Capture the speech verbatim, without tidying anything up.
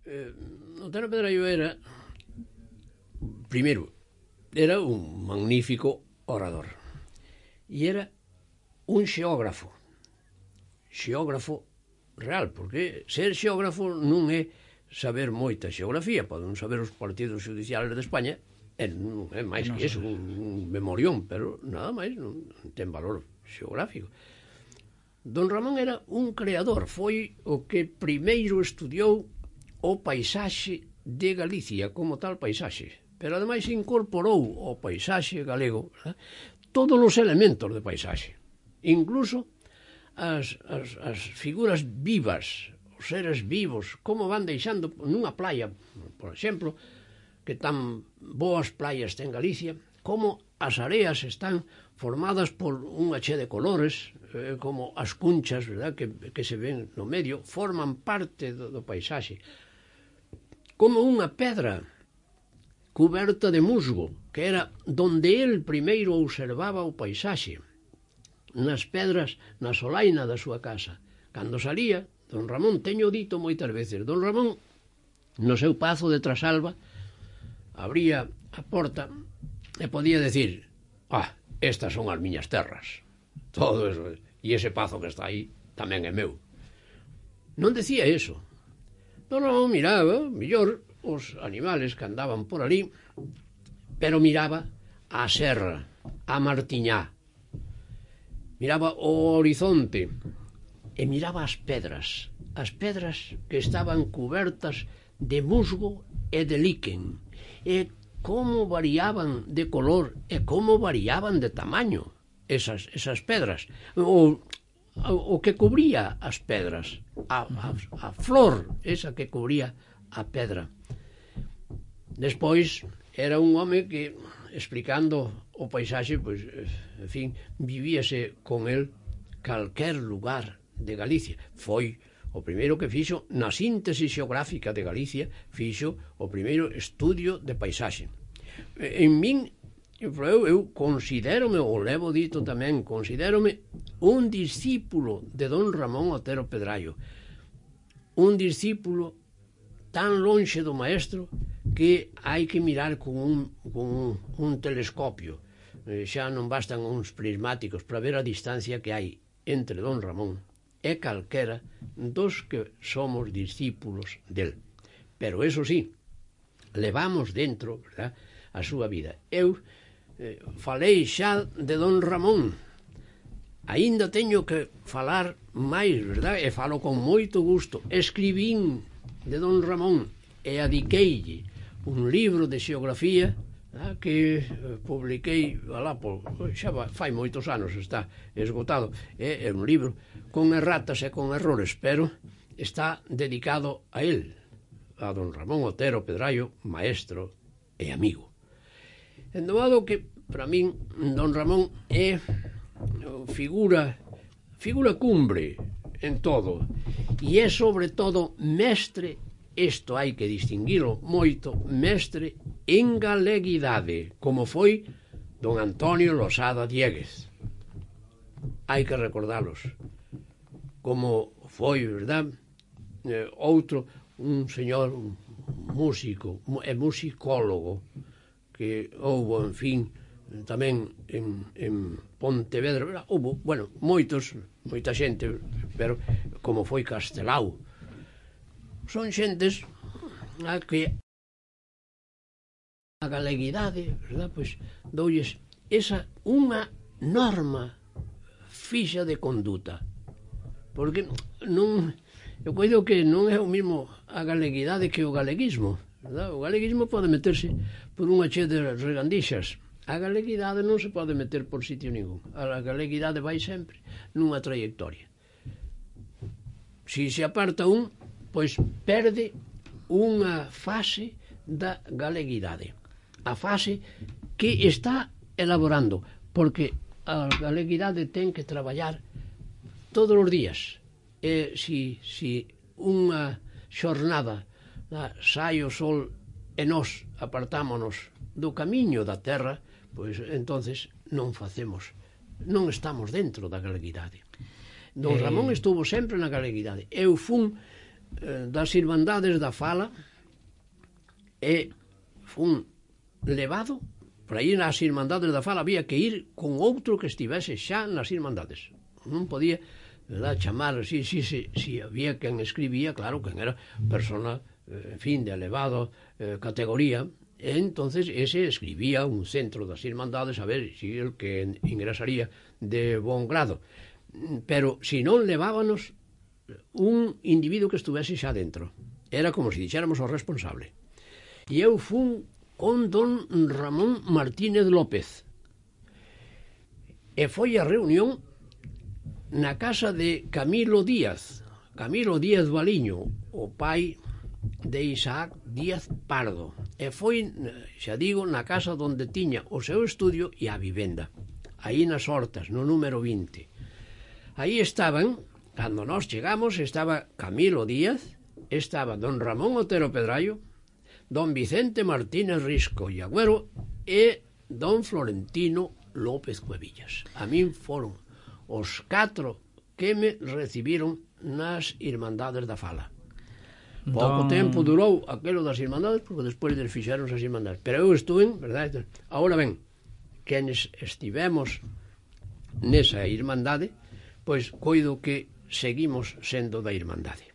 eh, Otero Pedraio era, primeiro, era un magnífico orador e era un xeógrafo xeógrafo real, porque ser xeógrafo non é saber moita xeografía, poden saber os partidos judiciales de España, e non é máis que iso, un, un memorión, pero nada máis, non ten valor xeográfico. Don Ramón era un creador, foi o que primeiro estudiou o paisaxe de Galicia como tal paisaxe, pero ademais incorporou ao paisaxe galego, ¿verdad?, todos os elementos de paisaxe, incluso as, as, as figuras vivas, os seres vivos, como van deixando nunha playa, por exemplo, que tan boas playas ten Galicia, como as areas están formadas por unha che de colores, eh, como as cunchas, verdad, que, que se ven no medio, forman parte do, do paisaxe. Como unha pedra cuberta de musgo, que era donde el primeiro observaba o paisaxe, nas pedras, na solaina da súa casa. Cando salía, don Ramón, teño dito moitas veces, don Ramón, no seu pazo de Trasalba, abría a porta e podía decir, ah, estas son as miñas terras, todo eso, e ese pazo que está aí tamén é meu. Non decía eso. Don Ramón miraba, mellor, os animales que andaban por ali, pero miraba a serra, a Martiñá, miraba o horizonte e miraba as pedras, as pedras que estaban cubertas de musgo e de líquen, e como variaban de color e como variaban de tamaño esas, esas pedras, o, o que cubría as pedras, a, a, a flor esa que cubría a pedra. Despois era un home que, explicando o paisaxe, pois, en fin, vivíase con el calquer lugar de Galicia. Foi o primeiro que fixo na síntese xeográfica de Galicia, fixo o primeiro estudio de paisaxe. En min, eu, eu considérome, ou levo dito tamén, considérome un discípulo de don Ramón Otero Pedraio, un discípulo tan lonxe do maestro que hai que mirar con un, con un, un telescopio. Xa non bastan uns prismáticos para ver a distancia que hai entre don Ramón e calquera dos que somos discípulos del. Pero eso sí, levamos dentro, verdad, a súa vida. Eu eh, falei xa de don Ramón, aínda teño que falar máis, verdad, e falo con moito gusto. Escribín de don Ramón e adiqueille un libro de xeografía, ah, que eh, publiquei alá por, xa va, fai moitos anos, está esgotado, é, é un libro con erratas e con errores, pero está dedicado a él, a don Ramón Otero Pedraio, maestro e amigo. En modo que, para min, don Ramón é figura figura cumbre en todo, e é sobre todo mestre. Isto hai que distinguilo moito, mestre en galeguidade, como foi don Antonio Losada Dieguez. Hai que recordalos. Como foi, verdad, eh, outro, un señor un músico e musicólogo que houbo, en fin, tamén en, en Pontevedra, verdad? Houbo, bueno, moitos, moita xente, pero como foi Castelao. Son xentes a que a galeguidade, verdad, pois doulles esa unha norma fixa de conduta, porque non, eu coido que non é o mismo a galeguidade que o galeguismo, verdad? O galeguismo pode meterse por unha che de regandixas, a galeguidade non se pode meter por sitio ningún, a galeguidade vai sempre nunha trayectoria. Si se aparta un, pois perde unha fase da galeguidade, a fase que está elaborando, porque a galeguidade ten que traballar todos os días, e si, si unha xornada da, sai o sol e nós apartámonos do camiño da terra, pois entonces non facemos, non estamos dentro da galeguidade. Don Ramón estuvo sempre na galeguidade. Eu fun eh, das Irmandades da Fala e fun levado. Por aí nas Irmandades da Fala había que ir con outro que estivese xa nas Irmandades. Non podía, verdad, chamar, si, si, si, si había quen escribía, claro, quen era persona, en fin, de elevado eh, categoría, e entonces ese escribía un centro das Irmandades a ver si el que ingresaría de bon grado. Pero si non levábanos un individuo que estuvese xa dentro. Era como se dixéramos o responsable. E eu fun con don Ramón Martínez López. E foi a reunión na casa de Camilo Díaz. Camilo Díaz Baliño, o pai de Isaac Díaz Pardo. E foi, xa digo, na casa onde tiña o seu estudio e a vivenda. Aí nas Hortas, no número vinte. Aí estaban, cando nós chegamos, estaba Camilo Díaz, estaba don Ramón Otero Pedrallo, don Vicente Martínez Risco e Agüero e don Florentino López Cuevillas. A min foron os catro que me recibiron nas Irmandades da Fala. Pouco don... tempo durou aquelo das Irmandades, porque despois des fixeron as Irmandades. Pero eu estuve, verdade? Agora ben, quenes estivemos nesa Irmandade, pois coido que seguimos sendo da Irmandade.